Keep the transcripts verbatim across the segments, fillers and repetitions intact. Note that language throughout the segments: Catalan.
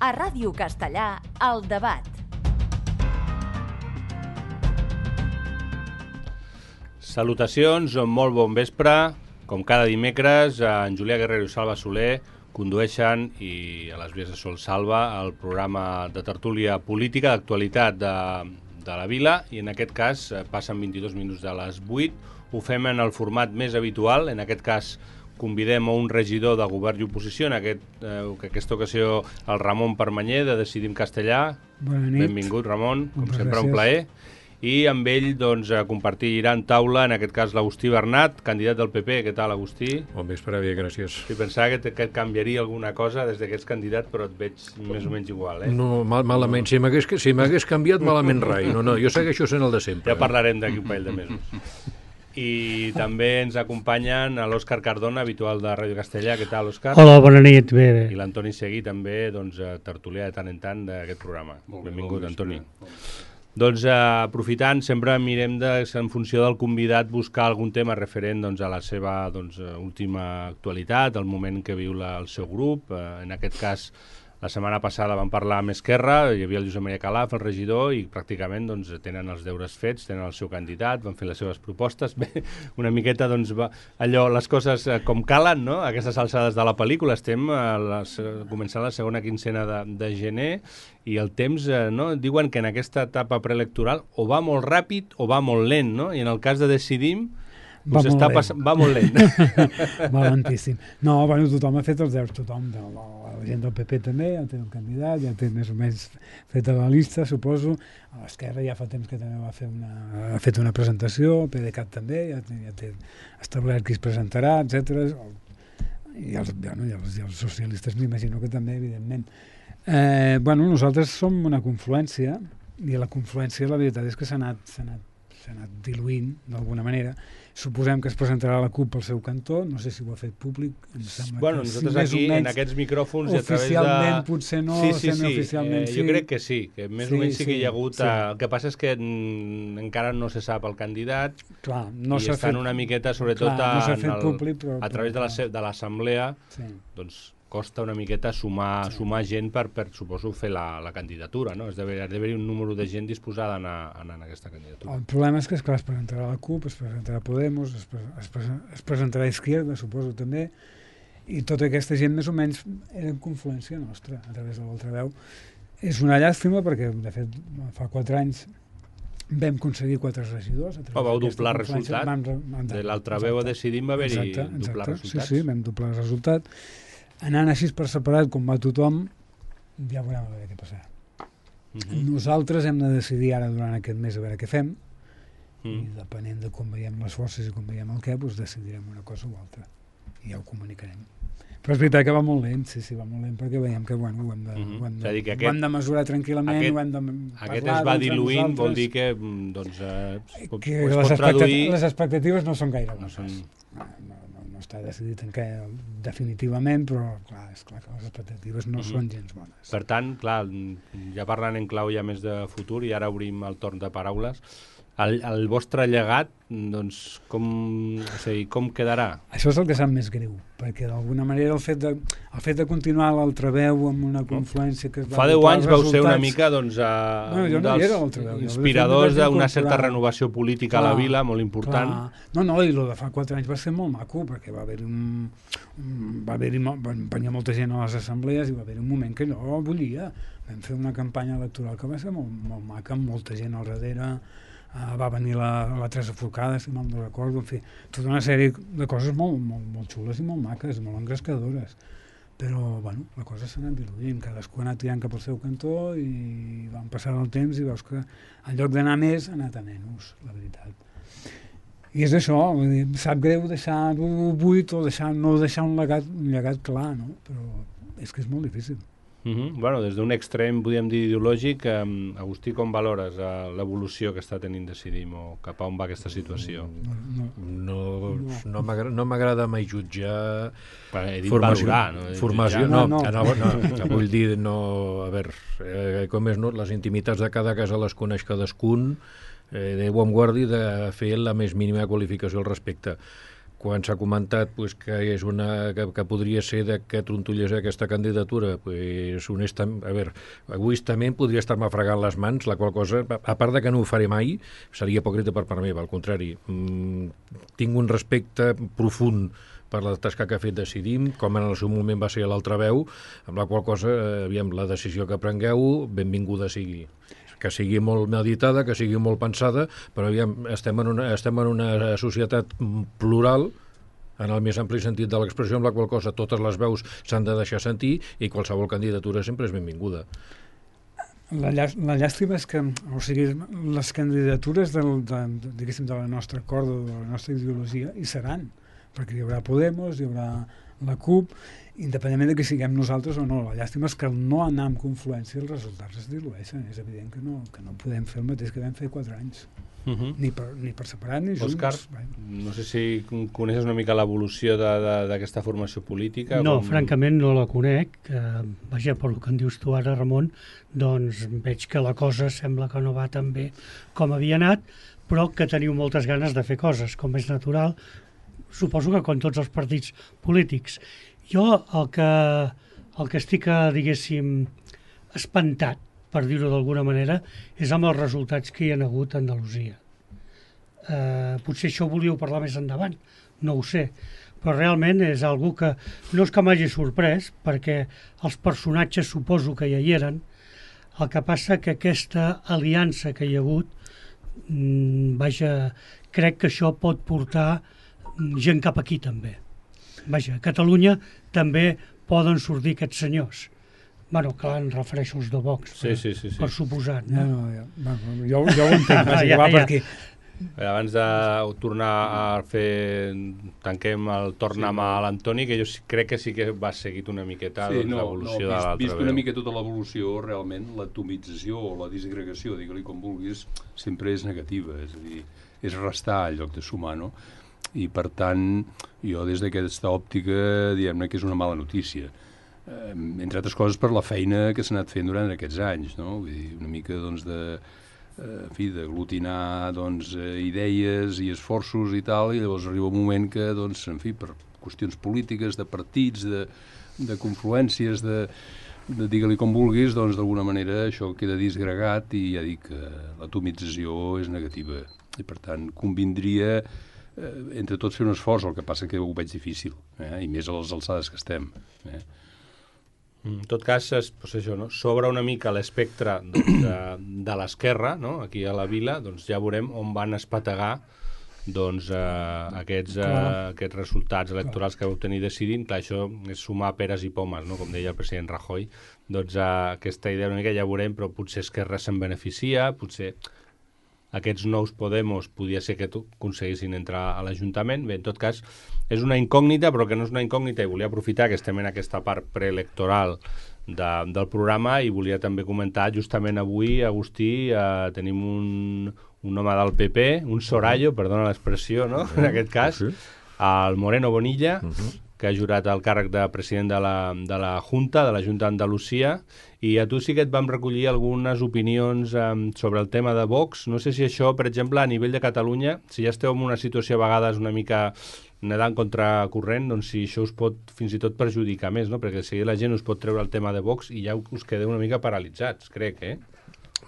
A Ràdio Castellà, El Debat. Salutacions, molt bon vespre. Com cada dimecres, en Julià Guerrero i Salva Soler condueixen, i a les vies de Sol Salva, el programa de tertúlia política d'actualitat de, de la vila, i en aquest cas passen vint-i-dos minuts de les vuit. Ho fem en el format més habitual, en aquest cas convidem a un regidor de govern i oposició, en aquest, eh, aquesta ocasió el Ramon Permanyer, de Decidim Castellà. Bona nit. Benvingut, Ramon, com Moltes sempre gràcies. un plaer. I amb ell doncs, compartiran taula, en aquest cas l'Agustí Bernat, candidat del P P. Què tal, Agustí? Bon vespre, bé, gràcies. Sí, pensava que, te, que et canviaria alguna cosa des que ets candidat, però et veig més o menys igual, eh? No, mal, malament. Si m'hagués si m'hagués canviat, malament rai. No, no, jo segueixo sent el de sempre. Ja parlarem d'aquí un parell de mesos. I també ens acompanyen l'Òscar Cardona, habitual de Ràdio Castellà. Què tal, Òscar? Hola, bona nit. Bé, bé. I l'Antoni Seguí, també, doncs, tertulià de tant en tant d'aquest programa. Molt bé, Benvingut, molt Antoni. Doncs, eh, aprofitant, sempre mirem, de, en funció del convidat, buscar algun tema referent doncs, a la seva doncs, última actualitat, el moment que viu la, el seu grup. Eh, en aquest cas, la setmana passada vam parlar amb Esquerra, hi havia el Josep Maria Calaf, el regidor, i pràcticament doncs, tenen els deures fets, tenen el seu candidat, van fer les seves propostes. Bé, una miqueta, doncs, va, allò, les coses eh, com calen, no?, a aquestes alçades de la pel·lícula. Estem a les, començant la segona quincena de, de gener, i el temps, eh, no?, diuen que en aquesta etapa preelectoral o va molt ràpid o va molt lent, no?, i en el cas de Decidim, Va us molt està lent. pass... va molt lent. Va lentíssim. No, bueno, tothom ha fet els deures, tothom. De la, la gent del P P també, ja té el candidat, ja té més o menys feta la llista, suposo. A l'Esquerra ja fa temps que també va fer una, ha fet una presentació, el PDeCAT també, ja té, ja té establert qui es presentarà, etcètera. I els, bueno, i els, i els socialistes m'imagino que també, evidentment. Eh, bueno, nosaltres som una confluència, i la confluència la veritat és que s'ha anat, s'ha anat, s'ha anat diluint d'alguna manera. Suposem que es presentarà la CUP al seu cantó, no sé si ho ha fet públic. Em sembla Bueno, que nosaltres sí, més o aquí, menys, en aquests micròfons, i a través de... oficialment potser no, sí, sí, sí. semioficialment Eh, sí. jo crec que sí, que més Sí, o menys sí, sí, que hi ha hagut... sí. Eh, el que passa és que mm, encara no se sap el candidat, Clar, no i s'ha estan fet, una miqueta, sobretot, clar, no s'ha en fet el, públic, però, a través de la però, se- de l'assemblea, sí. doncs costa una miqueta sumar, Sí. sumar gent per, per, suposo, fer la, la candidatura, no? És d'haver- ha d'haver-hi un número de gent disposada a anar, a anar en aquesta candidatura. El problema és que, esclar, es presentarà la CUP, es presentarà Podemos, es, pre es, pre es presentarà Izquierda, suposo, també, i tota aquesta gent més o menys era en confluència nostra, a través de l'altaveu. És una llàstima perquè, de fet, fa quatre anys vam aconseguir quatre regidors. Oh, vau doblar resultat? Vam, vam, De l'altaveu a Decidim va haver-hi exacte, exacte. doblar resultats. Sí, sí, vam doblar el resultat. Anant així per separat, com va tothom, ja veurem a veure què passarà. Uh -huh. Nosaltres hem de decidir ara durant aquest mes a veure què fem, Mm. i depenent de com veiem les forces i com veiem el què, doncs decidirem una cosa o altra. I ja ho comunicarem. Però és veritat que va molt lent, sí, sí, va molt lent, perquè veiem que, bueno, ho hem de, Uh -huh. ho hem És a dir, de, que ho aquest- hem de mesurar tranquil·lament, aquest- ho hem de Aquest parlar es va entre diluint, nosaltres, vol dir que, mm, doncs, eh, es pot, que es les, pot expectati traduir... les expectatives no són gaire No bones. són... No, no, no, no està decidit en què definitivament, però clar, és clar que les expectatives no Mhm. són gens bones. Per tant, clar, ja parlant en clau ja més de futur, i ara obrim el torn de paraules, el, el vostre llegat, doncs, com, o sigui, com quedarà? Això és el que sap més greu, perquè d'alguna manera el fet de, el fet de continuar l'altraveu amb una confluència que es va Fa deu doblar anys els vau ser una resultats- mica, doncs, a, Bueno, jo un no hi dels era a l'altraveu, jo, de fet, inspiradors m'hi vaig d'una certa incorporar. renovació política a la Clar, vila, molt important. Clar. No, no, i el de fa quatre anys va ser molt maco, perquè va haver-hi un, un, va haver-hi, mo- van venir molta gent a les assemblees i va haver-hi un moment que no volia. Vam fer una campanya electoral que va ser molt, molt maca, amb molta gent al darrere. Uh, va venir la, la Teresa Forcada, si mal no recordo, en fi, tota una sèrie de coses molt, molt, molt xules i molt maques, molt engrescadores. Però, bueno, la cosa s'ha anat diluint, cadascú ha anat tirant cap al seu cantó i van passar el temps i veus que en lloc d'anar més ha anat a menys, la veritat. I és això, vull dir, em sap greu deixar-ho buit o deixar, no deixar un llegat, un llegat clar, no? Però és que és molt difícil. Uh -huh. Bueno, des d'un extrem, podríem dir, ideològic, eh, Agustí, com valores eh, l'evolució que està tenint Decidim, o cap a on va aquesta situació? No, no. No, no m'agrada no m'agrada mai jutjar He dit formació, valorar, no? formació, jutjar. no, No, no, no. no, no, vull dir, no, a veure, eh, com és, no, les intimitats de cada casa les coneix cadascun, eh, Déu em guardi de fer la més mínima qualificació al respecte. quan s'ha comentat pues, que és una que, que podria ser de que trontollés aquesta candidatura, pues, honestament, a veure, egoistament podria estar-me fregant les mans, la qual cosa, a part de que no ho faré mai, seria hipòcrita per part meva, al contrari. Mm, tinc un respecte profund per la tasca que ha fet Decidim, com en el seu moment va ser l'altra veu, amb la qual cosa, eh, aviam, la decisió que prengueu, benvinguda sigui. Que sigui molt meditada, que sigui molt pensada, però aviam, estem en una, estem en una societat plural, en el més ampli sentit de l'expressió, amb la qual cosa totes les veus s'han de deixar sentir i qualsevol candidatura sempre és benvinguda. La, llà, la llàstima és que, o sigui, les candidatures del, de, diguéssim, de la nostra corda, de la nostra ideologia, hi seran, perquè hi haurà Podemos, hi haurà la CUP, independentment de que siguem nosaltres o no. La llàstima és que al no anar amb confluència els resultats es dilueixen. És evident que no, que no podem fer el mateix que vam fer quatre anys. Uh -huh. ni, per, ni per separat ni junts. Òscar, no sé si coneixes una mica l'evolució d'aquesta formació política. No, com... francament no la conec. Eh, vaja, per el que en dius tu ara, Ramon, doncs veig que la cosa sembla que no va tan bé com havia anat, però que teniu moltes ganes de fer coses, com és natural. Suposo que com tots els partits polítics. Jo el que, el que estic, diguéssim, espantat, per dir-ho d'alguna manera, és amb els resultats que hi ha hagut a Andalusia. Eh, potser això ho volíeu parlar més endavant, no ho sé, però realment és algo que no és que m'hagi sorprès, perquè els personatges suposo que ja hi eren. El que passa que aquesta aliança que hi ha hagut, mmm, vaja, crec que això pot portar gent cap aquí també. Vaja, a Catalunya també poden sortir aquests senyors. Bueno, clar, em refereixo als de Vox, sí, per, sí, sí, sí. per suposat. No? No, no, ja, bueno, jo, jo ho entenc, ja, ja, va ja. Perquè... Abans de tornar a fer, tanquem el tornamà a l'Antoni, que jo crec que sí que va seguit una miqueta sí, no, l'evolució no, vist, de l'altra vist veu. Una mica tota l'evolució, realment, l'atomització o la disgregació, digue-li com vulguis, sempre és negativa, és a dir, és restar en lloc de sumar, no? I per tant, jo des d'aquesta òptica, diguem-ne que és una mala notícia. Eh, entre altres coses per la feina que s'ha anat fent durant aquests anys, no? Vull dir, una mica, doncs, de, eh, en fi, d'aglutinar, doncs, eh, idees i esforços i tal, i llavors arriba un moment que, doncs, en fi, per qüestions polítiques, de partits, de, de confluències, de, de digue-li com vulguis, doncs, d'alguna manera això queda disgregat i ja dic que l'atomització és negativa. I, per tant, convindria eh, entre tots fer un esforç, el que passa que ho veig difícil, eh? I més a les alçades que estem. Eh? En tot cas, és, doncs això, no? S'obre una mica l'espectre doncs, de, de l'esquerra, no? Aquí a la vila, doncs ja veurem on van espategar doncs, eh, aquests, eh, aquests resultats electorals que vau tenir decidint. Clar, això és sumar peres i pomes, no? Com deia el president Rajoy. Doncs eh, aquesta idea una mica ja veurem, però potser Esquerra se'n beneficia, potser aquests nous Podemos podia ser que aconseguissin entrar a l'Ajuntament. Bé, en tot cas, és una incògnita, però que no és una incògnita, i volia aprofitar que estem en aquesta part preelectoral de, del programa, i volia també comentar, justament avui, Agustí, eh, tenim un, un home del P P, un sorallo, perdona l'expressió, no?, en aquest cas, el Moreno Bonilla, uh-huh. que ha jurat el càrrec de president de la, de la Junta, de la Junta d'Andalusia, i a tu sí que et vam recollir algunes opinions um, sobre el tema de Vox. No sé si això, per exemple, a nivell de Catalunya, si ja esteu en una situació a vegades una mica nedant contra corrent, doncs si això us pot fins i tot perjudicar més, no? Perquè si la gent us pot treure el tema de Vox i ja us quedeu una mica paralitzats, crec, eh?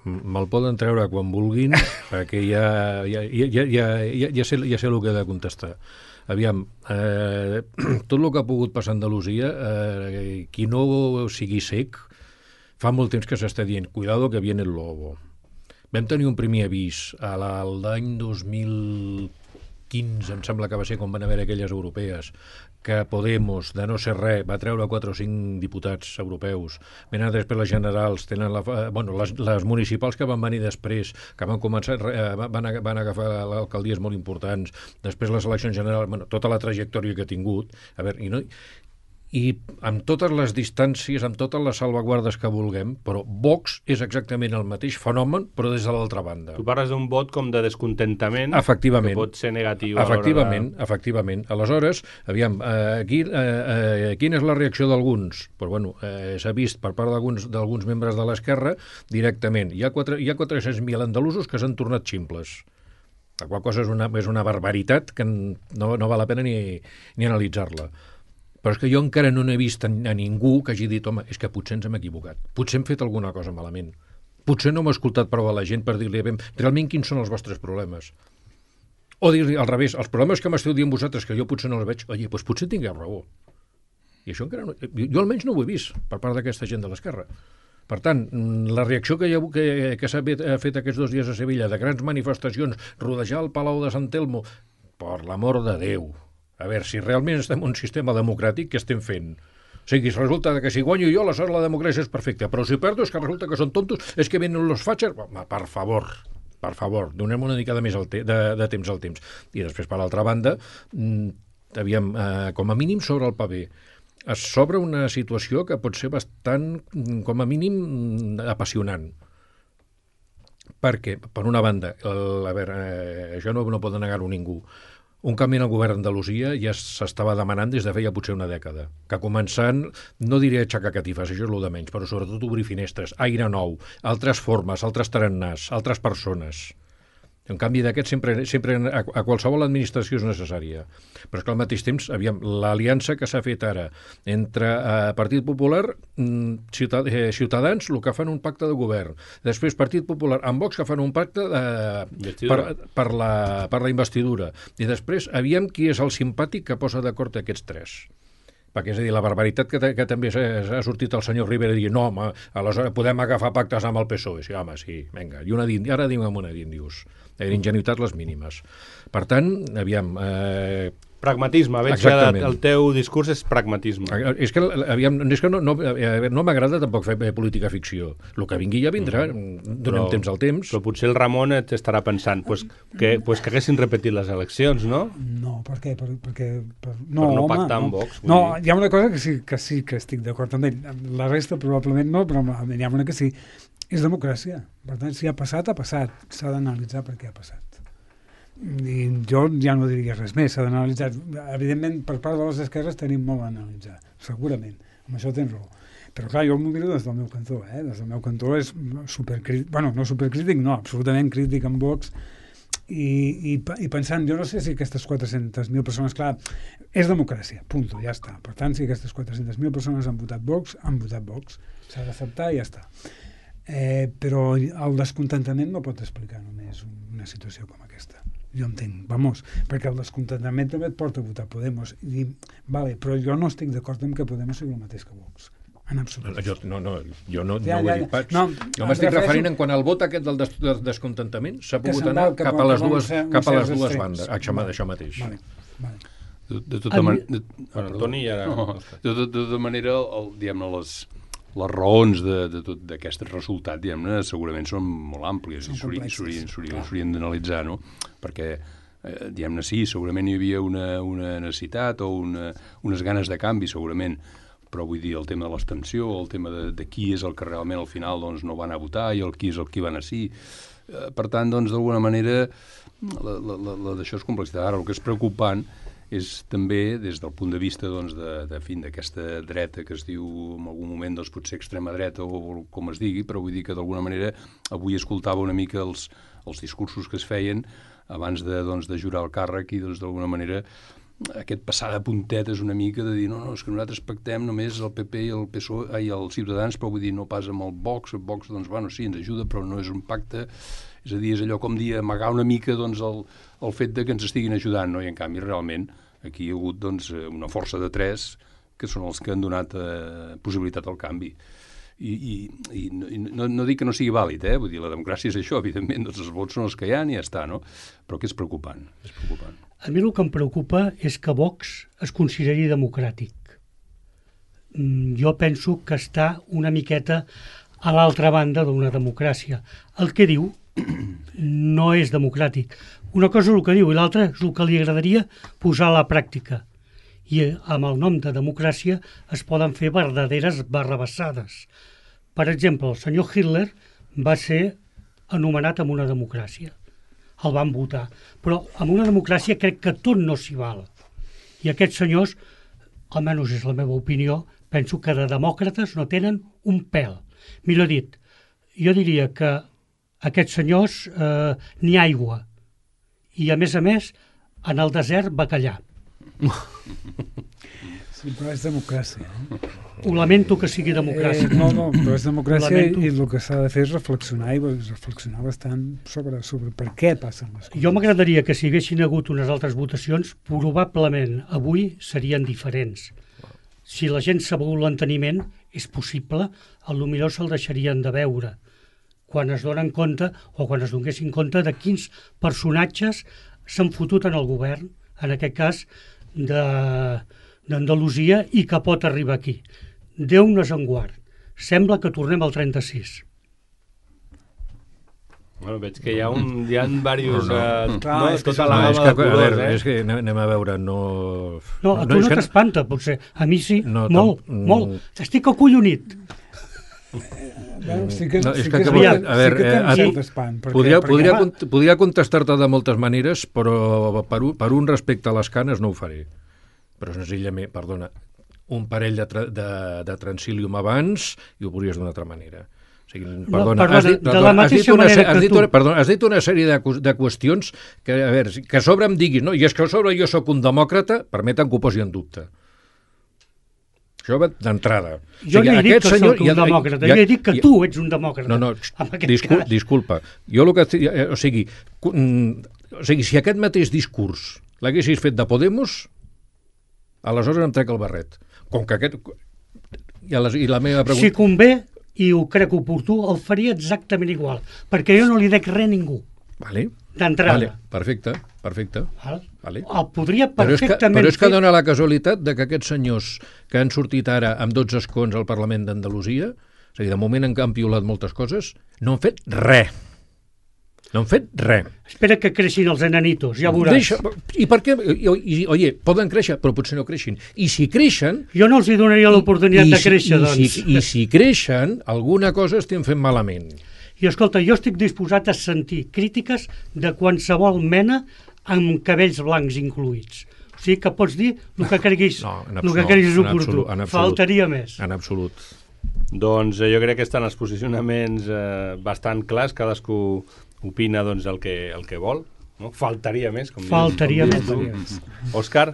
Me'l poden treure quan vulguin, perquè ja, ja, ja, ja, ja, ja, sé, ja sé el que he de contestar. Aviam, eh, tot el que ha pogut passar a Andalusia, eh, qui no sigui sec, fa molt temps que s'està dient, cuidado que viene el lobo. Vam tenir un primer avís a l'any dos mil quinze, em sembla que va ser quan van haver aquelles europees, que Podemos, de no ser res, va treure quatre o cinc diputats europeus. Venen després les generals, tenen la, bueno, les, les municipals que van venir després, que van començar, van, van agafar alcaldies molt importants, després les eleccions generals, bueno, tota la trajectòria que ha tingut. A veure, i no... i amb totes les distàncies, amb totes les salvaguardes que vulguem, però Vox és exactament el mateix fenomen, però des de l'altra banda. Tu parles d'un vot com de descontentament, efectivament, que pot ser negatiu. Efectivament, de... efectivament. Aleshores, aviam, eh, aquí, eh, eh, quina és la reacció d'alguns? Pues, bueno, eh, s'ha vist per part d'alguns membres de l'esquerra directament. Hi ha, quatre, hi ha quatre-cents mil andalusos que s'han tornat ximples. La qual cosa és una, és una barbaritat que no, no val la pena ni, ni analitzar-la. Però és que jo encara no n'he vist a, a ningú que hagi dit, home, és que potser ens hem equivocat, potser hem fet alguna cosa malament, potser no hem escoltat prou a la gent per dir-li realment quins són els vostres problemes. O dir-li al revés, els problemes que m'esteu dient vosaltres, que jo potser no els veig, oi, doncs potser tingueu raó. I això encara no... Jo almenys no ho he vist per part d'aquesta gent de l'esquerra. Per tant, la reacció que, ha, que, que s'ha fet aquests dos dies a Sevilla, de grans manifestacions, rodejar el Palau de Sant Telmo, per l'amor de Déu, a veure, si realment estem en un sistema democràtic, què estem fent? O sigui, resulta que si guanyo jo, aleshores la democràcia és perfecta, però si perdo és que resulta que són tontos, és que venen los fatxers... Per favor, per favor, donem una mica de més de, de temps al temps. I després, per l'altra banda, aviam, eh, com a mínim sobre el paper, es s'obre una situació que pot ser bastant, com a mínim, apassionant. Perquè, per una banda, el, a veure, eh, això no, no pot negar-ho ningú, un canvi en el govern d'Andalusia ja s'estava demanant des de feia potser una dècada, que començant, no diré aixecar catifes, això és el de menys, però sobretot obrir finestres, aire nou, altres formes, altres tarannàs, altres persones. Un canvi d'aquest sempre, sempre a, a qualsevol administració és necessària. Però és que al mateix temps, aviam, l'aliança que s'ha fet ara entre eh, Partit Popular, ciutad, eh, Ciutadans, el que fan un pacte de govern. Després Partit Popular amb Vox, que fan un pacte eh, per, per, la, per la investidura. I després, aviam qui és el simpàtic que posa d'acord aquests tres. Perquè, és a dir, la barbaritat que, que també ha sortit el senyor Rivera dient no, home, aleshores podem agafar pactes amb el P S O E. Sí, home, sí, vinga. I una d'indi, ara diguem una d'índios. Ingenuïtat les mínimes. Per tant, aviam... Eh... Pragmatisme, veig que el teu discurs és pragmatisme. És que, aviam, és que no, no, no m'agrada tampoc fer política ficció. El que vingui ja vindrà, mm. donem però, temps al temps. Però potser el Ramon t'estarà pensant pues, que, pues que haguessin repetit les eleccions, no? No, per què? Per, perquè, per, no, per no home, pactar amb no. Vox. No, hi ha una cosa que sí que, sí que estic d'acord amb ell. La resta probablement no, però hi ha una que sí. És democràcia. Per tant, si ha passat, ha passat. S'ha d'analitzar per què ha passat. I jo ja no diria res més, s'ha d'analitzar. Evidentment, per part de les esquerres tenim molt a analitzar, segurament, amb això tens raó. Però clar, jo m'ho miro des del meu cantó, eh? Des del meu cantó és supercrític, bueno, no supercrític, no, absolutament crític amb Vox, i, i, i pensant, jo no sé si aquestes quatre-centes mil persones, clar, és democràcia, punt, ja està. Per tant, si aquestes quatre-centes mil persones han votat Vox, han votat Vox, s'ha d'acceptar i ja està. Eh, però el descontentament no pot explicar només una situació com aquesta. Jo entenc, vamos, perquè el descontentament també et porta a votar Podemos. I, vale, però jo no estic d'acord amb que Podemos sigui el mateix que Vox. En absolut. Jo no, no, jo no, ja, no ho ja, he dit pas. No, jo m'estic refereixo... referint en quan el vot aquest del des descontentament s'ha pogut anar cap, cap a les dues, cap a les dues bandes. Això, vale. Això mateix. Vale, vale. De, de tota manera... Bueno, Toni ja... No, de, de, de tota manera, el, diguem-ne, les... les raons d'aquest resultat, diguem-ne, segurament són molt àmplies i s'haurien d'analitzar, no? Perquè, eh, diguem-ne, sí, segurament hi havia una, una necessitat o una, unes ganes de canvi, segurament, però vull dir, el tema de l'extensió, el tema de, de qui és el que realment al final doncs, no van a votar i el qui és el que van a sí. Eh, per tant, doncs, d'alguna manera, la, la, la, la d'això és complexitat. Ara, el que és preocupant és també, des del punt de vista doncs, de, de fin d'aquesta dreta que es diu en algun moment doncs, potser extrema dreta o, o com es digui, però vull dir que d'alguna manera avui escoltava una mica els, els discursos que es feien abans de, doncs, de jurar el càrrec i doncs, d'alguna manera aquest passar de puntetes una mica de dir no, no, és que nosaltres pactem només el P P i el P S O E i els Ciutadans, però vull dir no pas amb el Vox, el Vox doncs bueno, sí, ens ajuda, però no és un pacte, és a dir, és allò com dir amagar una mica doncs, el, el fet de que ens estiguin ajudant, no? I en canvi realment aquí hi ha hagut doncs, una força de tres que són els que han donat eh, possibilitat al canvi. I, i, i, i no, no dic que no sigui vàlid, eh? Vull dir, la democràcia és això, evidentment, doncs els vots són els que hi ha i ja està, no? Però que és preocupant, és preocupant. A mi el que em preocupa és que Vox es consideri democràtic. Jo penso que està una miqueta a l'altra banda d'una democràcia. El que diu no és democràtic. Una cosa és el que diu i l'altra és el que li agradaria posar a la pràctica. I amb el nom de democràcia es poden fer verdaderes barrabassades. Per exemple, el senyor Hitler va ser anomenat amb una democràcia. El van votar. Però amb una democràcia crec que tot no s'hi val. I aquests senyors, almenys és la meva opinió, penso que de demòcrates no tenen un pèl. Millor dit, jo diria que aquests senyors eh, ni aigua. i, a més a més, en el desert, bacallà. Sí, però és democràcia. Eh? Ho lamento que sigui democràcia. Eh, no, no, però és democràcia Lamento. i el que s'ha de fer és reflexionar i reflexionar bastant sobre, sobre per què passen les coses. Jo m'agradaria que si haguessin hagut unes altres votacions, probablement avui serien diferents. Si la gent s'ha begut l'enteniment, és possible, potser se'l deixarien de veure quan es donen compte o quan es donessin compte de quins personatges s'han fotut en el govern, en aquest cas d'Andalusia, i que pot arribar aquí. Déu-nos en guard. Sembla que tornem al trenta-sis. Bueno, veig que hi ha, un, hi ha diversos... No, no. Uh, Clar, no, és que tota això- la No, és gamma que, de a colors, veure, eh? és que anem, anem a veure, no... No, a tu no, és que- t'espanta, potser. A mi sí, No, molt, tam- molt. Estic acollonit. Bueno, sí que, No, és sí que, que, que, sí, aviam, que, a veure, sí que eh, tens a tu- cert espant. Perquè, Podria, perquè, podria, home, cont- podria contestar-te de moltes maneres, però per un, per un respecte a les canes no ho faré. Però senzillament, perdona, un parell de, tra de, de transilium abans i ho podries d'una altra manera. O sigui, perdona, perdona, has dit, de la perdona, has dit mateixa una, manera se- has que dit tu. una, perdona, has dit una sèrie de, qu- de qüestions que, a veure, que a sobre em diguis, no, i és que a sobre jo sóc un demòcrata, permeten que ho posi en dubte. Això va d'entrada. Jo no he dit que senyor- sóc un ja- demòcrata, ja- jo he dit que ja- tu ets un demòcrata. no, no, en aquest discul cas. disculpa. Jo el que... estic- eh, O sigui, cu- mm, o sigui, si aquest mateix discurs l'haguessis fet de Podemos, aleshores em trec el barret. Com que aquest... I, a les, i la meva pregunta... Si convé, i ho crec oportú, el faria exactament igual, perquè jo no li dec res a ningú, Vale, d'entrada. vale, perfecte, perfecte. Val? Vale. El podria Però és, que, perfectament però és que fer. dona la casualitat de que aquests senyors que han sortit ara amb dotze escons al Parlament d'Andalusia, és a dir, de moment han campiolat moltes coses, no han fet res. No han fet res. Espera que creixin els enanitos, ja veuràs. Deixa, I per què? I, i, oye, poden créixer, però potser no creixin. I si creixen... Jo no els hi donaria l'oportunitat i de si- créixer, i doncs. Si, I si creixen, alguna cosa estem fent malament. I escolta, jo estic disposat a sentir crítiques de qualsevol mena amb cabells blancs incluïts. O sigui que pots dir el que creguis, No, en el absolut, que creguis en oportú. absolut, en absolut. Faltaria més. En absolut. Doncs eh, jo crec que estan els posicionaments eh, bastant clars, cadascú opina doncs, el, que, el que vol, no? Faltaria més, com Faltaria dius, més. com dius tu, Òscar,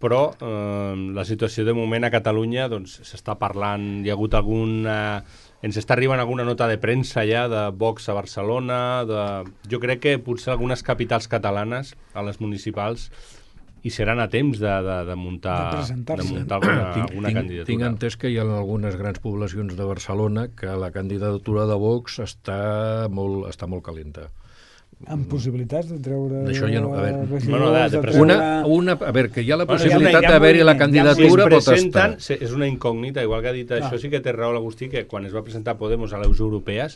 però eh, la situació de moment a Catalunya doncs, s'està parlant, hi ha hagut alguna... Ens està arribant alguna nota de premsa ja de Vox a Barcelona, de... jo crec que potser algunes capitals catalanes, a les municipals, i seran a temps de, de, de muntar, De presentar-se. de muntar alguna, tinc, alguna tinc, candidatura. tinc entès que hi ha algunes grans poblacions de Barcelona que la candidatura de Vox està molt, està molt calenta. amb possibilitats de treure... D'això ja no- a veure, regidors, bueno, de- de de presentar- treure... Una, una, a veure, que hi ha la Bueno, possibilitat hi ha una- hi ha d'haver-hi la moviment, candidatura, si pot es presenten, estar. se- és una incògnita, igual que ha dit Clar. això, sí que té raó l'Agustí, que quan es va presentar Podemos a les europees,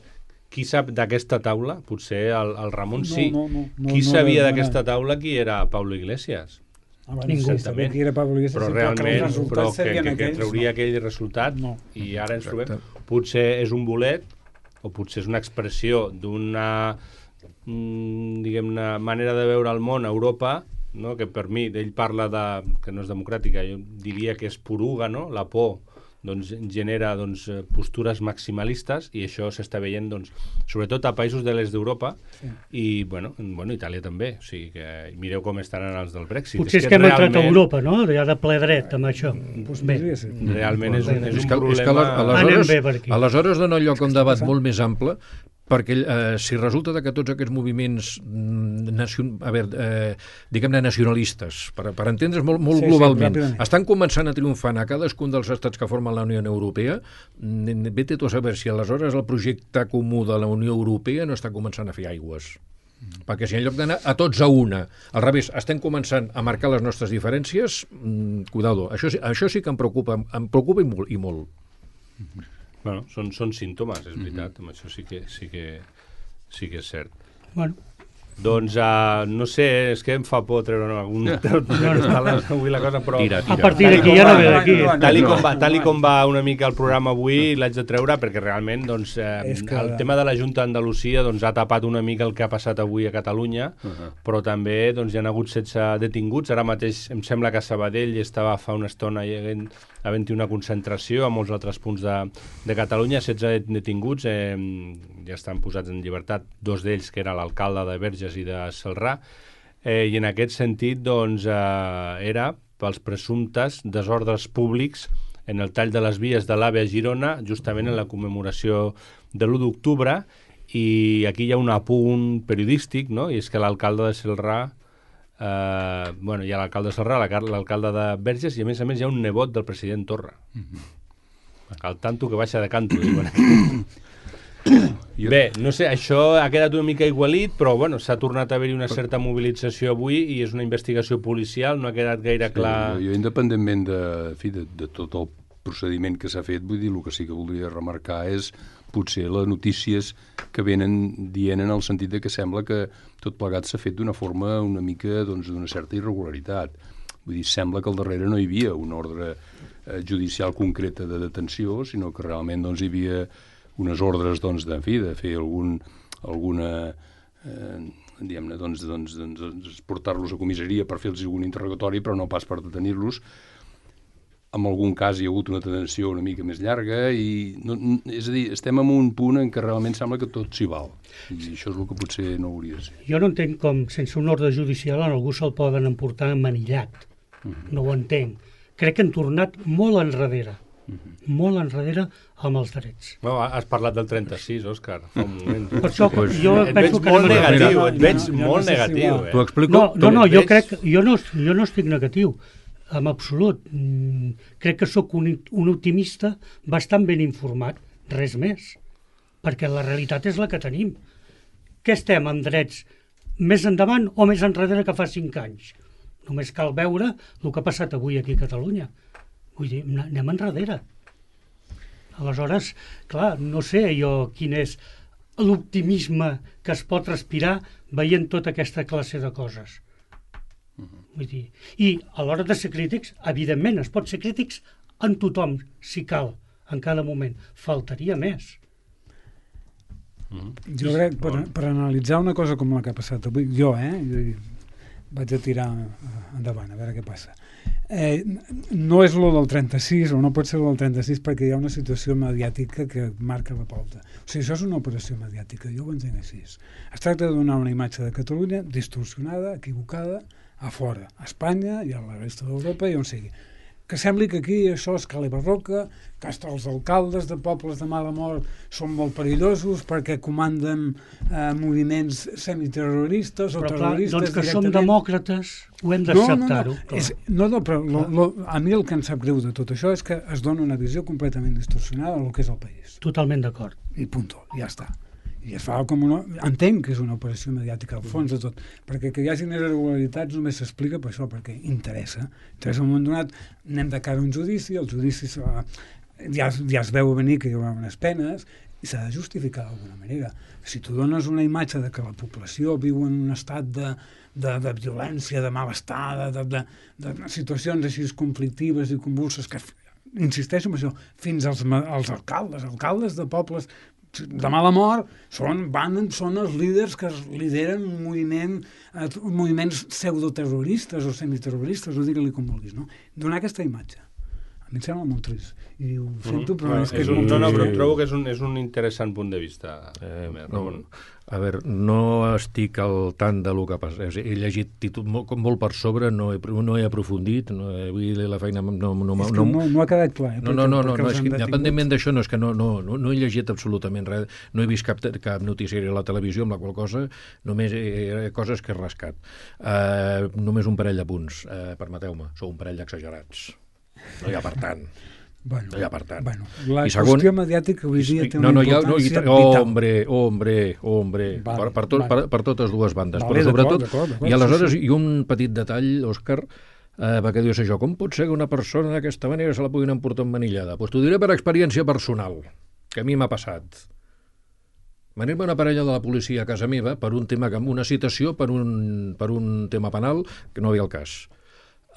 qui sap d'aquesta taula? Potser el, el Ramon No, sí. no, no, no, qui no, sabia no, d'aquesta taula qui era Pablo Iglesias? Ah, bueno, Ningú. sí, sabia que era Pablo Iglesias, Però sí, que els realment, resultats però que, serien que, que aquells, trauria no. aquell resultat No. i ara ens Exacte. trobem. Potser és un bolet o potser és una expressió d'una mm, diguem-ne, manera de veure el món a Europa, no? Que per mi, ell parla de, que no és democràtica, jo diria que és poruga, no? La por doncs, genera doncs, eh, postures maximalistes i això s'està veient doncs, sobretot a països de l'est d'Europa Sí. i bueno, en- bueno, Itàlia també, o sigui que mireu com estaran els del Brexit. Potser és que hem entrat a Europa, no? Ja de ple dret amb això. Pues Bé, podria ser. Realment és un, és És un que, problema... és que ales- Anem aleshores, bé per aquí. aleshores dona lloc a un debat passant? molt més ample, perquè eh, si resulta de que tots aquests moviments mm, nacion, a veure, eh, diguem-ne nacionalistes, per, per entendre's molt, molt Sí, sí, globalment, ràpidament. estan començant a triomfar a cadascun dels estats que formen la Unió Europea, mm, vete tu a saber si aleshores el projecte comú de la Unió Europea no està començant a fer aigües. Mm. Perquè si en lloc d'anar a tots a una, al revés, estem començant a marcar les nostres diferències, mm, cuidado, això, sí- això sí que em preocupa, em preocupa i molt. I molt. Bueno, són, són símptomes, és veritat, amb això sí que, sí que, sí que és cert. bueno, Doncs, uh, no sé, és que em fa por treure algun... No, no. Avui la cosa, però... Tira, a tira. partir d'aquí ja no ve d'aquí. Tal i, com va, tal i com va una mica el programa avui, l'haig de treure perquè realment doncs, eh, És que- el tema de la Junta d'Andalusia doncs, ha tapat una mica el que ha passat avui a Catalunya, uh -huh. però també doncs, hi ha hagut setze detinguts. Ara mateix em sembla que a Sabadell estava fa una estona havent, havent una concentració a molts altres punts de, de Catalunya, setze detinguts, eh, ja estan posats en llibertat, dos d'ells que era l'alcalde de Verges i de Celrà. eh, i en aquest sentit doncs, eh, era pels presumptes desordres públics en el tall de les vies de l'AVE a Girona, justament en la commemoració de l'u d'octubre, i aquí hi ha un apunt periodístic, no? I és que l'alcalde de Celrà, eh, bueno, hi ha l'alcalde de Celrà, l'alcalde de Verges, i a més a més hi ha un nebot del president Torra. Mm-hmm. El tanto que baixa de canto, diuen aquí. Bé, no sé, això ha quedat una mica igualit, però bueno, s'ha tornat a haver-hi una certa mobilització avui i és una investigació policial, no ha quedat gaire clar... Sí, jo, independentment de, en fi, de, de tot el procediment que s'ha fet, vull dir, el que sí que voldria remarcar és potser les notícies que venen dient en el sentit de que sembla que tot plegat s'ha fet d'una forma una mica, doncs, d'una certa irregularitat. Vull dir, sembla que al darrere no hi havia una ordre eh, judicial concreta de detenció, sinó que realment, doncs, hi havia unes ordres, doncs, de, en fi, de fer algun, alguna, eh, diguem-ne, doncs, doncs, doncs, doncs portar-los a comissaria per fer-los algun interrogatori, però no pas per detenir-los. En algun cas hi ha hagut una detenció una mica més llarga, i no, és a dir, estem en un punt en què realment sembla que tot s'hi val, i això és el que potser no hauria de ser. Jo no entenc com, sense un ordre judicial, en algú se'l poden emportar manillat. Uh-huh. No ho entenc. Crec que han tornat molt enrere. Uh-huh. Molt enrere amb els drets. No, has parlat del trenta-sis, Òscar, fa un moment. Per això, pues, jo et penso veig que... molt no negatiu, et veig no, no, molt no sé negatiu. si eh? T'ho explico? No, no, no jo veig... crec... Jo no, jo no estic negatiu, en absolut. Mm, crec que sóc un, un optimista bastant ben informat, res més. Perquè la realitat és la que tenim. Què estem amb drets més endavant o més enrere que fa cinc anys? Només cal veure el que ha passat avui aquí a Catalunya. Vull dir, anem enrere. Aleshores, clar, no sé jo quin és l'optimisme que es pot respirar veient tota aquesta classe de coses. Vull dir, i a l'hora de ser crítics, evidentment, es pot ser crítics en tothom, si cal, en cada moment. Faltaria més. Jo crec, per, per analitzar una cosa com la que ha passat avui, jo, eh, vaig a tirar endavant, a veure què passa. Eh, no és lo del trenta-sis, o no pot ser lo del trenta-sis, perquè hi ha una situació mediàtica que marca la pauta. O sigui, això és una operació mediàtica, jo ho entenc així. Es tracta de donar una imatge de Catalunya distorsionada, equivocada, a fora, a Espanya i a la resta d'Europa i on sigui. Que sembli que aquí això és cale barroca, que hasta els alcaldes de pobles de mala mort són molt perillosos perquè comanden eh, moviments semiterroristes o però terroristes clar, doncs que directament. som demòcrates, ho hem d'acceptar-ho. No, no, no. És, no, no, però lo, lo, a mi el que em sap greu de tot això és que es dona una visió completament distorsionada del que és el país. Totalment d'acord. I punto, ja està. I es fa com una... Entenc que és una operació mediàtica al fons de tot, perquè que hi hagi irregularitats només s'explica per això, perquè interessa. Interessa en un moment donat, anem de cara a un judici, el judici ja, ja es veu venir que hi haurà unes penes, i s'ha de justificar d'alguna manera. Si tu dones una imatge de que la població viu en un estat de, de, de violència, de malestar, de, de, de, de situacions així conflictives i convulses, que insisteixo en això, fins als, als alcaldes, alcaldes de pobles de mala mort, són, van, són els líders que lideren un moviment, eh, moviments pseudoterroristes o semiterroristes, o digue-li com vulguis, no? Donar aquesta imatge. A mi em sembla molt trist. I ho sento, però mm. és que és, és un, molt no, no, però trist. trobo que és un, és un interessant punt de vista. Eh, més, no, a veure, no estic al tant de lo que passa. He llegit títol molt, molt per sobre, no he, no he aprofundit, no he, vull dir, la feina no, no, no, és que no, no ha quedat clar. Eh, no, no, no, no, no, és que independentment d'això, no, és que no, no, no, no he llegit absolutament res, no he vist cap, cap noticiari a la televisió, amb la qual cosa només he, coses que he rascat. Uh, només un parell de punts, uh, permeteu-me, sou un parell d'exagerats. No hi ha per tant. Bueno, no hi ha per tant. Bueno, la I segon, qüestió mediàtica avui dia té no, una no, ja, importància no, vital. Hombre, hombre, hombre, vale, per, per, tot, vale. per, per totes dues bandes. Vale, però sobretot, d'acord, d'acord, i aleshores, sí, sí. i un petit detall, Òscar, eh, perquè dius això, com pot ser que una persona d'aquesta manera se la puguin emportar emmanillada? Doncs pues t'ho diré per experiència personal, que a mi m'ha passat. Venir-me una parella de la policia a casa meva per un tema, una citació per un, per un tema penal que no havia el cas.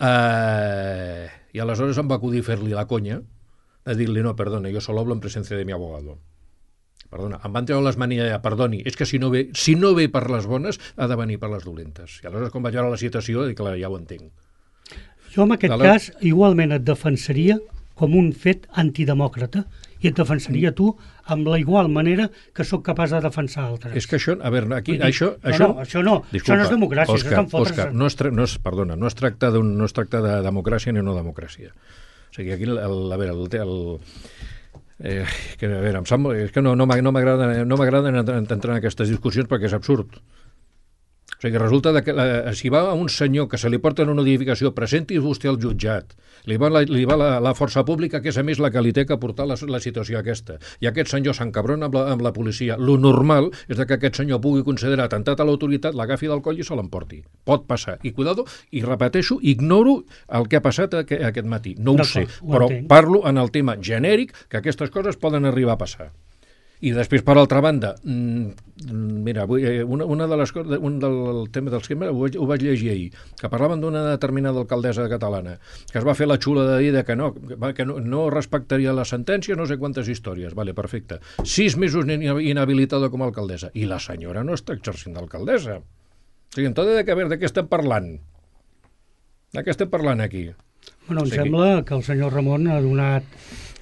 Eh, I aleshores em va acudir fer-li la conya de dir-li, no, perdona, jo solo hablo en presencia de mi abogado. Perdona, em van treure les manilles allà, perdoni, és que si no, ve, si no ve per les bones, ha de venir per les dolentes. I aleshores, quan vaig veure la citació, dic, clar, ja ho entenc. Jo, en aquest Dale. cas, igualment et defensaria com un fet antidemòcrata i et defensaria tu amb la igual manera que sóc capaç de defensar altres. És que això, a veure, aquí, dir, això... no, això, no, això no, disculpa, això no és democràcia, Òscar, això és fotre's. Òscar, no es, tra no es, perdona, no es tracta d'un, no es tracta de democràcia ni no democràcia. O sigui, aquí, el, el, a veure, el, el, eh, que, a veure, em sembla, és que no, no m'agrada no m'agrada entrar en aquestes discussions perquè és absurd. O sigui, resulta que eh, si va a un senyor que se li porta en una edificació, presenti vostè al jutjat, li va, la, li va la, la força pública, que és a més la que li té que portar la, la situació aquesta, i aquest senyor s'encabrona amb, la, amb la policia. Lo normal és de que aquest senyor pugui considerar atemptat a l'autoritat, l'agafi del coll i se l'emporti. Pot passar. I cuidado, i repeteixo, ignoro el que ha passat aquest, aquest matí. No ho sé, però parlo en el tema genèric que aquestes coses poden arribar a passar. I després, per altra banda, mira, una, una de les coses, un del tema dels que ho, ho vaig llegir ahir, que parlaven d'una determinada alcaldessa catalana, que es va fer la xula de dir que no, que no, no respectaria la sentència, no sé quantes històries, vale, perfecte. Sis mesos inhabilitada com a alcaldessa. I la senyora no està exercint d'alcaldessa. O sigui, entonces, de, que, a veure, de què estem parlant? De què estem parlant aquí? Bueno, em o sigui, sembla que el senyor Ramon ha donat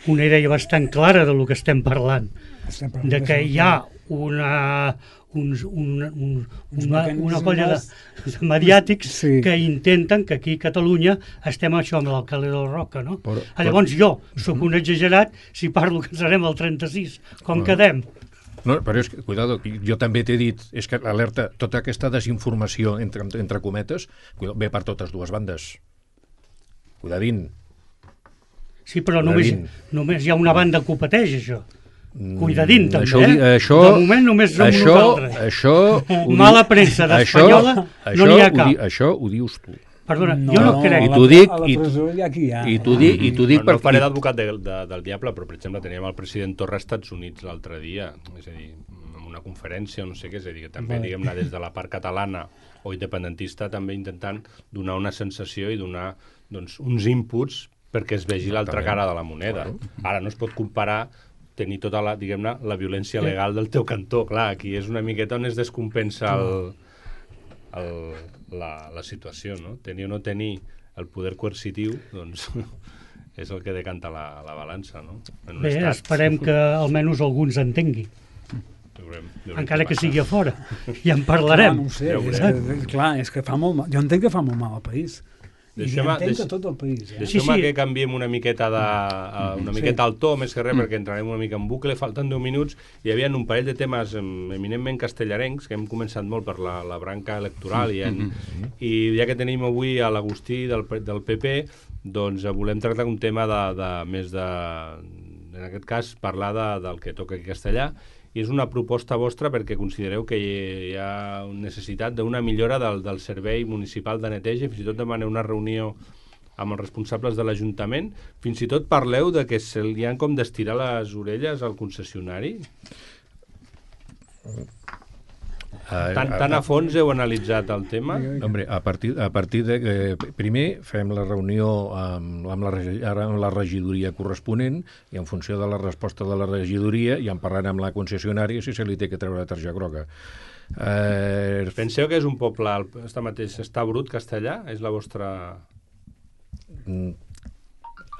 una idea bastant clara del que estem parlant. De que hi ha una, uns, una, un, una, una colla de, de mediàtics sí. que intenten que aquí a Catalunya estem això amb l'alcalde del Roca, no? Però, però... Llavors jo sóc un exagerat si parlo que serem al trenta-sis. Com no. quedem? No, però és que, cuidado, jo també t'he dit, és que alerta, tota aquesta desinformació, entre, entre cometes, ve per totes dues bandes. Cuidadín. Sí, però només, només hi ha una banda que ho pateix, això. Cuidadín, també, això, eh? Això, de moment només som això, nosaltres. Això, mala premsa d'Espanyola no n'hi ha cap. Ho di, això ho dius tu. Perdona, no, jo no crec. I t'ho dic, a la presó hi ha qui hi ha. I t'ho dic, i t'ho dic per... No faré d'advocat de, de, del diable, però, per exemple, teníem el president Torra als Estats Units l'altre dia, és a dir, en una conferència, no sé què, és a dir, que també, vale. diguem-ne, des de la part catalana o independentista, també intentant donar una sensació i donar, doncs, uns inputs perquè es vegi l'altra cara de la moneda. Ara no es pot comparar tenir tota la, diguem-ne, la violència legal del teu cantó. Clar, aquí és una miqueta on es descompensa el, el, la, la situació, no? Tenir o no tenir el poder coercitiu, doncs, és el que decanta la, la balança, no? En Bé, esperem que almenys algú ens entengui. Veurem, veurem encara que sigui a fora. Ja en parlarem. Clar, no ho sé, és que, clar, és que fa molt mal. Jo entenc que fa molt mal al país. I entenc que tot el país. Eh? Deixem sí, sí. que canviem una miqueta de, uh, una miqueta al to, més que res, perquè entrarem una mica en bucle. Falten deu minuts. Hi havia un parell de temes eminentment castellarencs, que hem començat molt per la, la branca electoral, i, en, i ja que tenim avui a l'Agustí del, del P P, doncs volem tractar un tema de, de més de, en aquest cas, parlar de, del que toca aquí a Castellà, i és una proposta vostra perquè considereu que hi ha necessitat d'una millora del, del servei municipal de neteja, fins i tot demanar una reunió amb els responsables de l'Ajuntament. Fins i tot parleu de que se li han com d'estirar les orelles al concessionari. Tan, tan a fons heu analitzat el tema? Hombre, a partir, a partir de... Eh, primer fem la reunió amb, amb, la, amb la regidoria corresponent i en funció de la resposta de la regidoria ja en parlarem amb la concessionària si se li té que treure la targeta groga. Eh... Penseu que és un poble, està mateix, està brut castellà? És la vostra... Mm.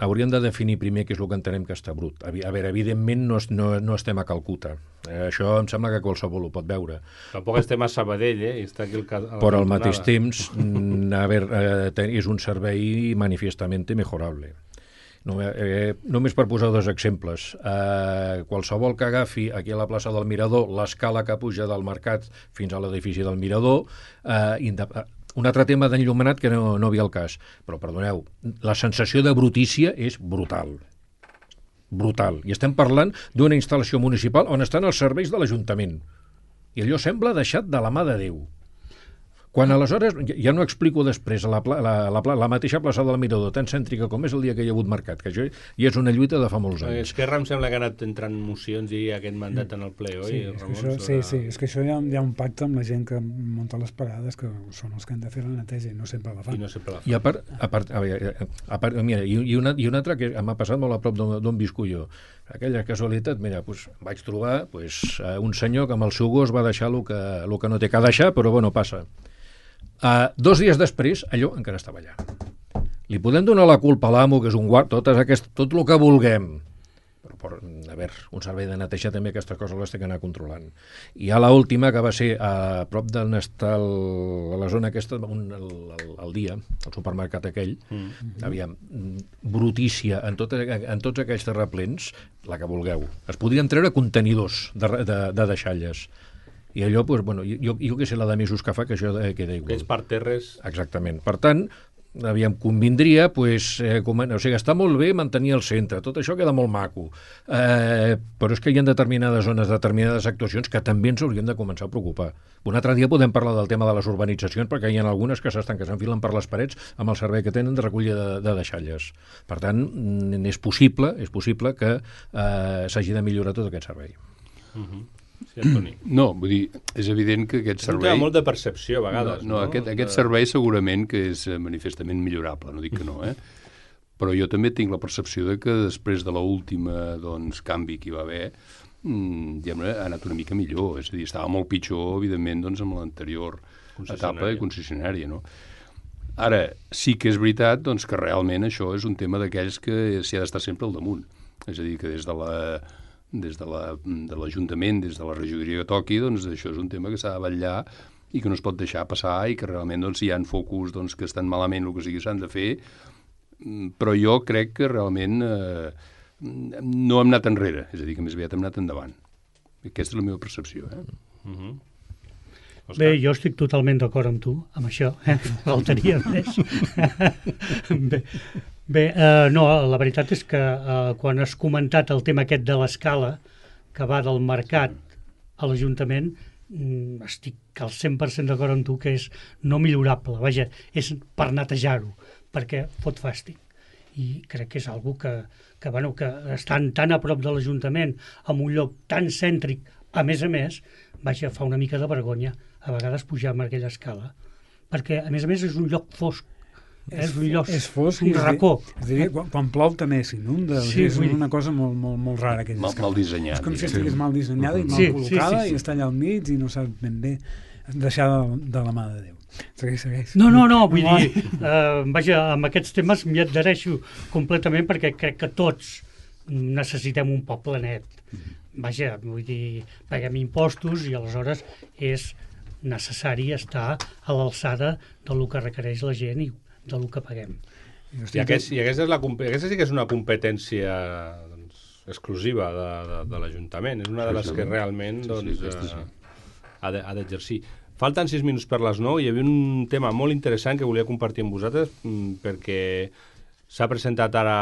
Hauríem de definir primer què és el que entenem que està brut. A veure, evidentment no, no, no estem a Calcuta. Eh, això em sembla que qualsevol ho pot veure. Tampoc estem a Sabadell, eh? Està aquí el cas, però al mateix temps a veure, eh, és un servei manifestament mejorable. No, eh, només per posar dos exemples. Eh, qualsevol que agafi aquí a la plaça del Mirador l'escala que puja del Mercat fins a l'edifici del Mirador, eh, independentment, un altre tema d'enllumenat que no, no havia el cas, però perdoneu, la sensació de brutícia és brutal. Brutal. I estem parlant d'una instal·lació municipal on estan els serveis de l'Ajuntament. I allò sembla deixat de la mà de Déu. Quan aleshores, ja no explico després, la, la, la, la mateixa plaça del Mirador, tan cèntrica com és el dia que hi ha hagut mercat, que això ja és una lluita de fa molts anys. Esquerra em sembla que ha anat entrant mocions i aquest mandat en el ple, oi? Sí, és que això, sí, sí, és que això hi ha, hi ha un pacte amb la gent que munta les parades, que són els que han de fer la neteja i no sempre la fan. I no sempre la fan. I a part, a part, a veure, a part mira, i, i, una, i una altra que m'ha passat molt a prop d'on visco jo. Aquella casualitat, mira, pues, vaig trobar pues, un senyor que amb el seu gos va deixar el que, el que no té que deixar, però bueno, passa. Uh, dos dies després, allò encara estava allà. Li podem donar la culpa a l'amo, que és un guard, tot, aquest, tot el que vulguem. Però per, a veure, un servei de neteja també aquestes coses les té que anar controlant. I a l'última, que va ser a prop d'on està el, a la zona aquesta, un, el, el, el dia, el supermercat aquell, mm. aviam, brutícia en, tot, en tots aquells terraplens, la que vulgueu. Es podrien treure contenidors de, de, de deixalles. I allò, doncs, bueno, jo, jo que sé la de mesos que fa, que això queda igual. Aquells parterres... Exactament. Per tant, aviam, convindria, pues, eh, com, o sigui, està molt bé mantenir el centre, tot això queda molt maco, eh, però és que hi ha determinades zones, determinades actuacions que també ens hauríem de començar a preocupar. Un altre dia podem parlar del tema de les urbanitzacions, perquè hi ha algunes que s'estan, que s'enfilen per les parets amb el servei que tenen de recollida de, de deixalles. Per tant, és possible, és possible que eh, s'hagi de millorar tot aquest servei. Uh-huh. Sí, Antoni. No, vull dir, és evident que aquest servei... És un molt de percepció, a vegades. No, no, no? Aquest, aquest servei segurament que és manifestament millorable, no dic que no, eh? Però jo també tinc la percepció de que després de l'última, doncs, canvi que hi va haver, mmm, ha anat una mica millor. És a dir, estava molt pitjor, evidentment, doncs, amb l'anterior etapa de concessionària, no? Ara, sí que és veritat, doncs, que realment això és un tema d'aquells que s'hi ha d'estar sempre al damunt. És a dir, que des de la... des de l'Ajuntament, la, de des de la regidoria que toqui, doncs això és un tema que s'ha de vetllar i que no es pot deixar passar i que realment doncs, hi ha focus doncs, que estan malament el que sigui s'han de fer, però jo crec que realment eh, no hem anat enrere, és a dir, que més aviat hem anat endavant. Aquesta és la meva percepció. Eh? Uh-huh. Bé, jo estic totalment d'acord amb tu, amb això, eh? Faltaria més. Bé, Bé eh, no, la veritat és que eh, quan has comentat el tema aquest de l'escala, que va del mercat a l'Ajuntament, mm, estic al cent per cent d'acord amb tu que és no millorable, vaja, és per netejar-ho, perquè fot fàstic. I crec que és algo que, que, bueno, que estan tan a prop de l'Ajuntament, en un lloc tan cèntric, a més a més, vaja, fa una mica de vergonya a vegades pujar amb aquella escala, perquè a més a més és un lloc fosc. És, és un lloc, és fosc, un racó. És dir, quan, quan plou també s'inunda, sí, és una cosa molt, molt, molt rara. Mal, mal dissenyat. És com si estigués mal dissenyada i mal sí, col·locada sí, sí, sí. i està allà al mig i no saps ben bé deixar de, de la mà de Déu. Segueix, segueix. No, no, no, vull dir, eh, vaja, amb aquests temes m'hi adhereixo completament perquè crec que tots necessitem un poble net. Vaja, vull dir, paguem impostos i aleshores és necessari estar a l'alçada del que requereix la gent i del que paguem. I, aquest, i aquesta, és la, aquesta sí que és una competència doncs, exclusiva de, de, de l'Ajuntament. És una de les que realment doncs, sí, sí, eh, ha d'exercir. Falten sis minuts per les nou i hi havia un tema molt interessant que volia compartir amb vosaltres perquè s'ha presentat ara,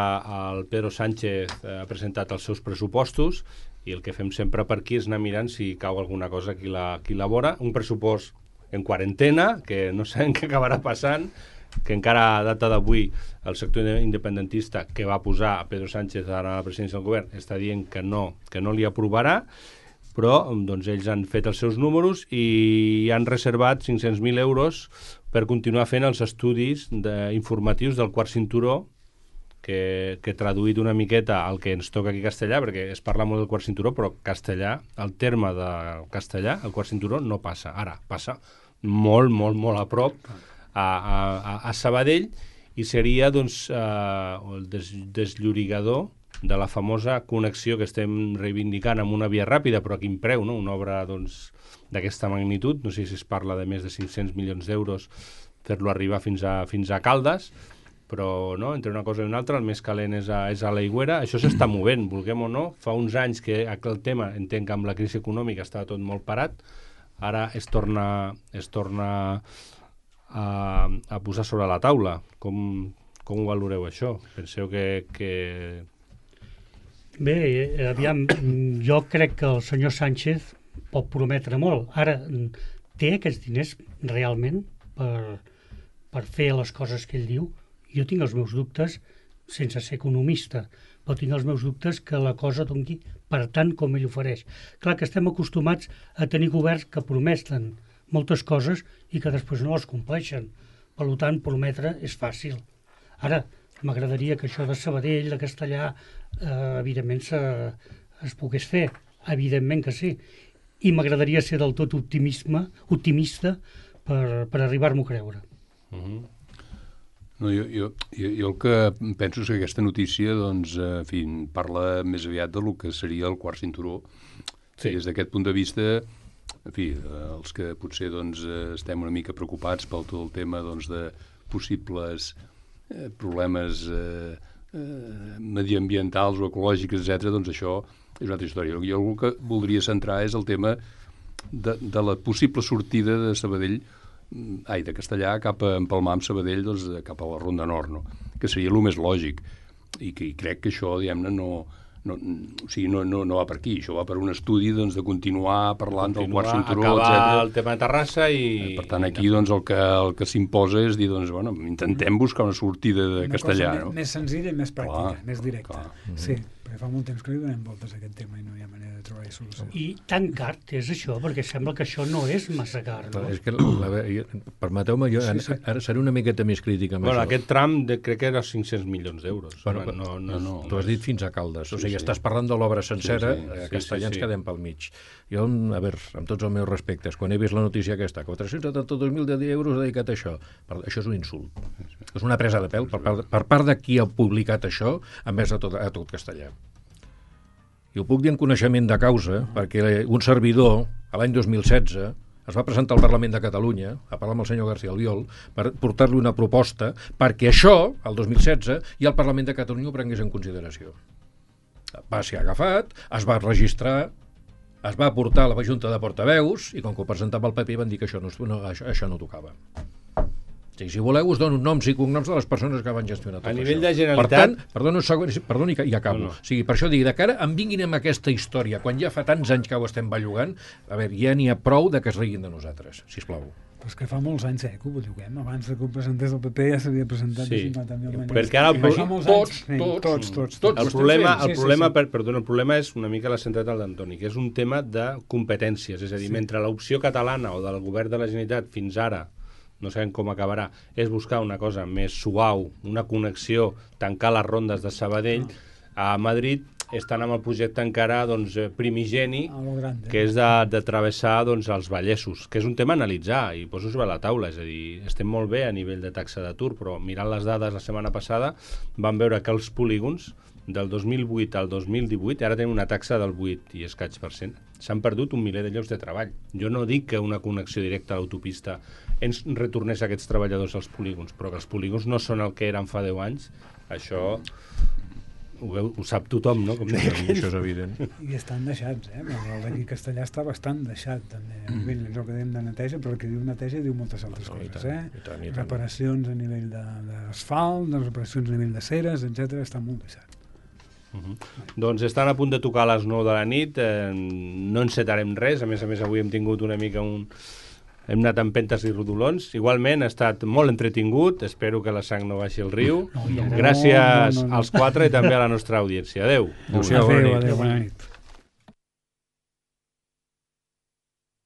el Pedro Sánchez ha presentat els seus pressupostos i el que fem sempre per aquí és anar mirant si cau alguna cosa qui la, qui la vora. Un pressupost en quarantena, que no sabem què acabarà passant, que encara a data d'avui el sector independentista que va posar a Pedro Sánchez a la presidència del govern està dient que no, que no li aprovarà, però doncs, ells han fet els seus números i han reservat cinc-cents mil euros per continuar fent els estudis de, informatius del quart cinturó, que, que traduït una miqueta al que ens toca aquí castellà, perquè es parla molt del quart cinturó, però castellà, el terme de castellà, el quart cinturó, no passa. Ara, passa molt, molt, molt a prop a, a, a Sabadell i seria doncs, eh, el des, desllorigador de la famosa connexió que estem reivindicant amb una via ràpida, però a quin preu, no? Una obra doncs, d'aquesta magnitud, no sé si es parla de més de cinc-cents milions d'euros fer-lo arribar fins a, fins a Caldes, però no, entre una cosa i una altra el més calent és a, és a l'Aigüera. Això s'està movent, vulguem o no. Fa uns anys que el tema, entenc que amb la crisi econòmica estava tot molt parat, ara es torna, es torna a, a posar sobre la taula. Com, com ho valoreu això? Penseu que... que... Bé, aviam, jo crec que el senyor Sánchez pot prometre molt. Ara, té aquests diners realment per, per fer les coses que ell diu? Jo tinc els meus dubtes, sense ser economista, però tinc els meus dubtes que la cosa doni per tant com ell ofereix. Clar que estem acostumats a tenir governs que prometen moltes coses i que després no les compleixen. Per tant, prometre és fàcil. Ara, m'agradaria que això de Sabadell, de Castellà, eh, evidentment se, es pogués fer. Evidentment que sí. I m'agradaria ser del tot optimisme, optimista per, per arribar-m'ho a creure. Uh-huh. No, jo, jo, jo, jo el que penso és que aquesta notícia, doncs, en fi, parla més aviat del que seria el quart cinturó. Sí. Des d'aquest punt de vista, en fi, els que potser doncs, estem una mica preocupats pel tot el tema doncs, de possibles eh, problemes eh, eh, mediambientals o ecològics, etcètera, doncs això és una altra història. Jo el que voldria centrar és el tema de, de la possible sortida de Sabadell, ai, de Castellà cap a empalmar amb Sabadell, doncs, cap a la Ronda Nord, no? Que seria el més lògic. I, que, i crec que això, diguem-ne, no, no, o sigui, no, no, no va per aquí. Això va per un estudi doncs, de continuar parlant continuar, del quart cinturó, acabar etcètera. El tema de Terrassa i... Per tant, aquí doncs, el que, el que s'imposa és dir, doncs, bueno, intentem buscar una sortida de una Castellà. Una cosa no? més senzilla i més pràctica, Clar, més directa. clar. Sí, perquè fa molt temps que li donem voltes a aquest tema i no hi ha manera de trobar-hi solució. I tan car és això, perquè sembla que això no és massa car, no? És que, la, jo, permeteu-me, jo sí, sí. ara seré una miqueta més crítica amb bueno, això. Aquest tram de, crec que era cinc-cents milions d'euros. Bueno, no, no, no, no. Tu has dit fins a Caldes, o Sí, sigui, sí. estàs parlant de l'obra sencera, Sí, sí. a Castellà Sí, sí, sí. ens quedem pel mig. Jo, a veure, amb tots els meus respectes, quan he vist la notícia aquesta, quatre-cents setanta-dos mil euros dedicat a això, això és un insult. És una presa de pèl per part, per part de qui ha publicat això, envers a tot, a tot Castellà. I ho puc dir en coneixement de causa, perquè un servidor, a l'any dos mil setze, es va presentar al Parlament de Catalunya a parlar amb el senyor García Albiol per portar-li una proposta perquè això, el dos mil setze, i el Parlament de Catalunya ho prengués en consideració. Va ser agafat, es va registrar, es va portar a la Junta de Portaveus i com que ho presentava el P P van dir que això no, no, això, això no tocava. O sigui, si voleu us dono noms i cognoms de les persones que van gestionar tot A això. nivell de Generalitat... Per tant, perdona un segon, perdoni i acabo. No, no. O sigui, per això dic, de cara, em vinguin amb aquesta història, quan ja fa tants anys que ho estem bellugant, a veure, ja n'hi ha prou de que es riguin de nosaltres, sisplau. Però és que fa molts anys, eh, que ho belluguem. Abans que ho presentés el P P ja s'havia presentat Sí. de cinquanta mil manera. Perquè ara el pro- Fa molts tots, anys, sí, tots, tots, tots, tots. El Ho estem problema, fent. el, Sí, sí, problema sí. Per, perdona, el problema és una mica la centralitat d'Antoni, que és un tema de competències. És a dir, mentre l'opció catalana o del govern de la Generalitat fins ara, no sabem com acabarà, és buscar una cosa més suau, una connexió, tancar les rondes de Sabadell, a Madrid estan amb el projecte encara doncs, primigeni, A lo grande. que és de, de travessar doncs, els Vallesos, que és un tema a analitzar i poso sobre la taula, és a dir, estem molt bé a nivell de taxa d'atur, però mirant les dades la setmana passada vam veure que els polígons del dos mil vuit al dos mil divuit ara tenen una taxa del vuit i escaig per cent. S'han perdut un miler de llocs de treball. Jo no dic que una connexió directa a l'autopista ens retornés aquests treballadors als polígons, però que els polígons no són el que eren fa deu anys, això ho, veu, ho sap tothom, no? Com deia aquell. Això és evident. I estan deixats, eh? El d'aquí Castellà està bastant deixat, també. Mm. És el que dèiem de neteja, però el que diu neteja diu moltes altres No, i coses, tant, eh? i tant, i tant. Reparacions a nivell de- d'asfalt, de, reparacions a nivell de ceres, etcètera, està molt deixat. Uh -huh. Doncs estan a punt de tocar a les nou de la nit, eh, no encetarem res, a més a més avui hem tingut una mica un... hem anat amb pentes i rodolons, igualment ha estat molt entretingut, espero que la sang no baixi al riu, No, no, no. gràcies No, no, no. als quatre i també a la nostra audiència. Adeu. Adéu-siau, bona Adéu, nit. adéu, bona nit.